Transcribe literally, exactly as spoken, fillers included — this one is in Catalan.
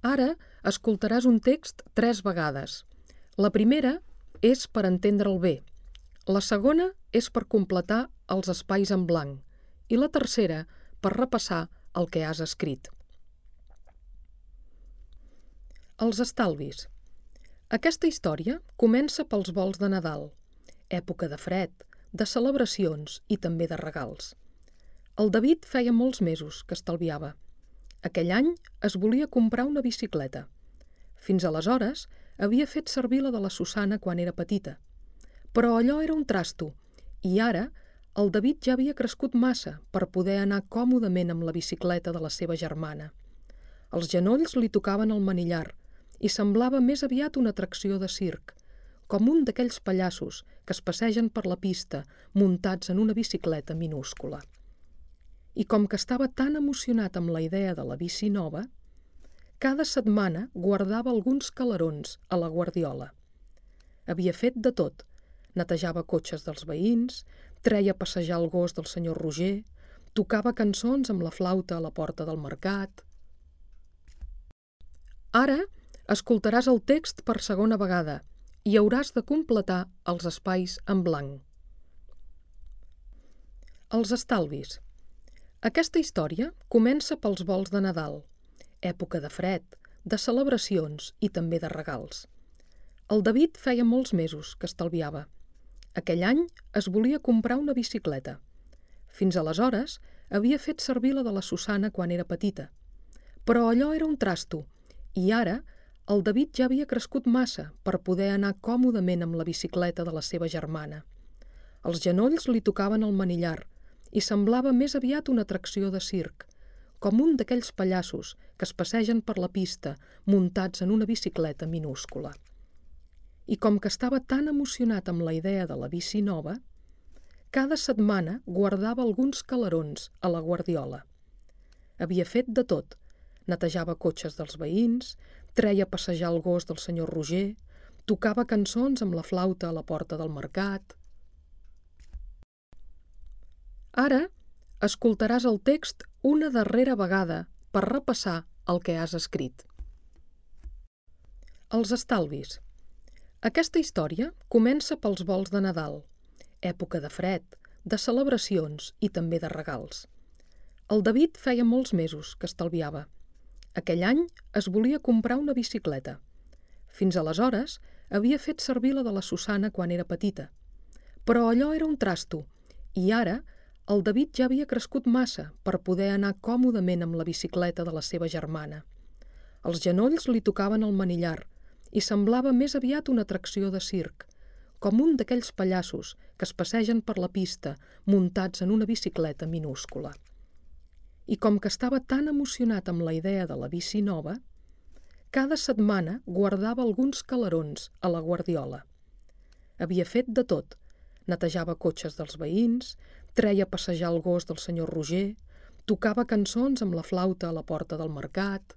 Ara escoltaràs un text tres vegades. La primera és per entendre'l bé, la segona és per completar els espais en blanc i la tercera per repassar el que has escrit. Els estalvis. Aquesta història comença pels volts de Nadal, època de fred, de celebracions i també de regals. El David feia molts mesos que estalviava. Aquell any es volia comprar una bicicleta. Fins aleshores havia fet servir la de la Susana quan era petita. Però allò era un trasto, i ara el David ja havia crescut massa per poder anar còmodament amb la bicicleta de la seva germana. Els genolls li tocaven el manillar i semblava més aviat una atracció de circ, com un d'aquells pallassos que es passegen per la pista muntats en una bicicleta minúscula. I com que estava tan emocionat amb la idea de la bici nova, cada setmana guardava alguns calerons a la guardiola. Havia fet de tot. Netejava cotxes dels veïns, treia a passejar el gos del senyor Roger, tocava cançons amb la flauta a la porta del mercat. Ara escoltaràs el text per segona vegada i hauràs de completar els espais en blanc. Els estalvis. Aquesta història comença pels volts de Nadal, època de fred, de celebracions i també de regals. El David feia molts mesos que estalviava. Aquell any es volia comprar una bicicleta. Fins aleshores havia fet servir la de la Susana quan era petita. Però allò era un trasto, i ara el David ja havia crescut massa per poder anar còmodament amb la bicicleta de la seva germana. Els genolls li tocaven el manillar i semblava més aviat una atracció de circ, com un d'aquells pallassos que es passegen per la pista muntats en una bicicleta minúscula. I com que estava tan emocionat amb la idea de la bici nova, cada setmana guardava alguns calerons a la guardiola. Havia fet de tot. Netejava cotxes dels veïns, treia a passejar el gos del senyor Roger, tocava cançons amb la flauta a la porta del mercat. Ara escoltaràs el text una darrera vegada per repassar el que has escrit. Els estalvis. Aquesta història comença pels volts de Nadal, època de fred, de celebracions i també de regals. El David feia molts mesos que estalviava. Aquell any es volia comprar una bicicleta. Fins aleshores havia fet servir la de la Susana quan era petita. Però allò era un trasto, i ara el David ja havia crescut massa per poder anar còmodament amb la bicicleta de la seva germana. Els genolls li tocaven el manillar i semblava més aviat una atracció de circ, com un d'aquells pallassos que es passegen per la pista muntats en una bicicleta minúscula. I com que estava tan emocionat amb la idea de la bici nova, cada setmana guardava alguns calerons a la guardiola. Havia fet de tot. Netejava cotxes dels veïns, treia a passejar el gos del senyor Roger, tocava cançons amb la flauta a la porta del mercat.